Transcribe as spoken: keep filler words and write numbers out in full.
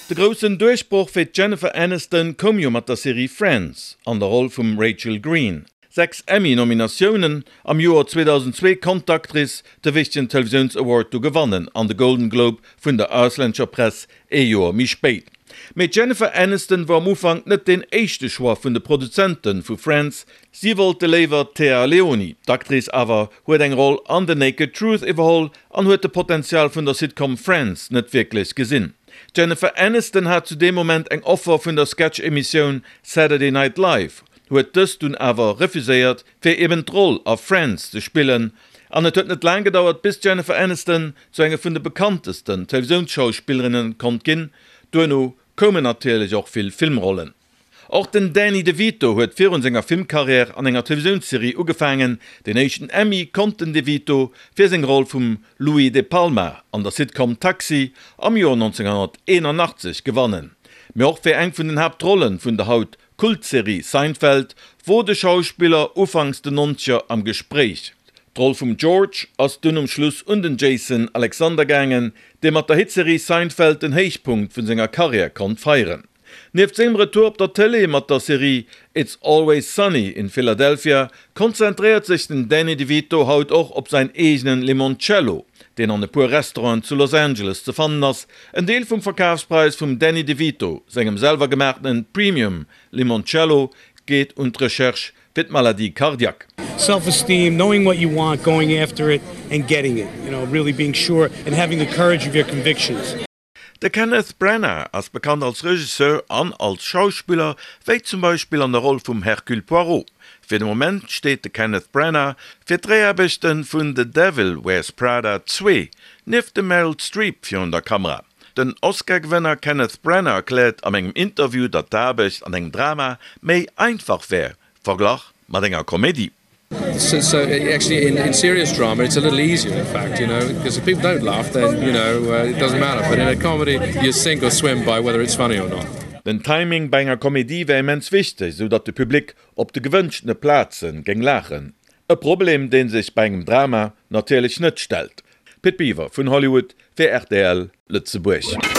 De groussen Duerchbroch fir d'Jennifer Aniston koum jo mat der Serie Friends an der Roll vum Rachel Green. Sechs Emmy-Nominatiounen am Joer zweedausendzwee konnt d'Actrice de wichtegen Televisiouns-Award du gewannen an de Golden Globe vun der auslännescher Press ee Joer méi spéit. Mee d'Jennifer Aniston wor am Ufank net deen éischte Choix vun de Produzente vu Friends, si wollte léiwer d'Téa Leoni. D'Actrice awer huet eng Roll an The Naked Truth iwwerholl an huet de Potenzial vun der Sitcom Friends net wierklech gesinn. D'Jennifer Aniston hat zu deem Moment eng Offer vun der Sketch-Emissioun Saturday Night Live, huet dës dunn awer refuséiert, fir eben d'Roll a Friends ze spillen. An et huet net laang gedauert, bis d'Jennifer Aniston zu enge vun de bekanntesten Televisiounsschauspillerinne konnt ginn. Duerno koumen natierlech och vill Filmrollen. Och den Danny DeVito huet virun senger Filmkarriär an enger Televisiounsserie ugefaangen. Den éischten Emmy konnt den DeVito fir seng Roll vum Louie De Palma an der Sitcom Taxi am Joer nonzénghonnerteenanachtzeg gewannen. Mee och fir eng vun den Haaptrollen vun der haut Kultserie Seinfeld wor de Schauspiller ufanks den Nonzeger am Gespréich. D'Roll vum George ass dunn um Schluss un den Jason Alexander gaangen, dee mat der Hitserie Seinfeld den Héichpunkt vun senger Karriär konnt feieren. Nieft sengem Retour op der Tëlee mat der Serie It's Always Sunny in Philadelphia konzentréiert sech den Danny DeVito haut och op säin eegenen Limoncello, deen an e puer Restauranten zu Los Angeles ze fannen ass. En Deel vum Verkafspräis vum Danny DeVito sengem selwer gemaachtenen Premium Limoncello geet un d'Recherche fir d'Maladie cardiaque. Self-esteem, knowing what you want, going after it and getting it, you know, really being sure and having the courage of your convictions. De Kenneth Branagh ass bekannt als Regisseur an als Schauspiller, wéi zum Beispill an der Roll vum Hercule Poirot. Fir de Moment steet de Kenneth Branagh fir d'Dréiaarbechte vun The Devil Wears Prada zwee nieft dem Meryl Streep virun der Kamera. Den Oscar-Gewënner Kenneth Branagh erkläert am engem Interview, datt d'Aarbecht an engem Drama méi einfach wär, verglach mat enger Komedie. So, so actually in, in serious drama it's a little easier in fact, you know, because if people don't laugh then, you know, uh, it doesn't matter. But in a comedy you sink or swim by whether it's funny or not. Den Timing bei enger Komedie wär immens wichteg, sou datt de Public op de gewënschtene Plaze géing laachen. E Problem, dee sech bei engem Drama natierlech net stellt. Pit Biwer vun Hollywood fir rtl Lëtzebuerg.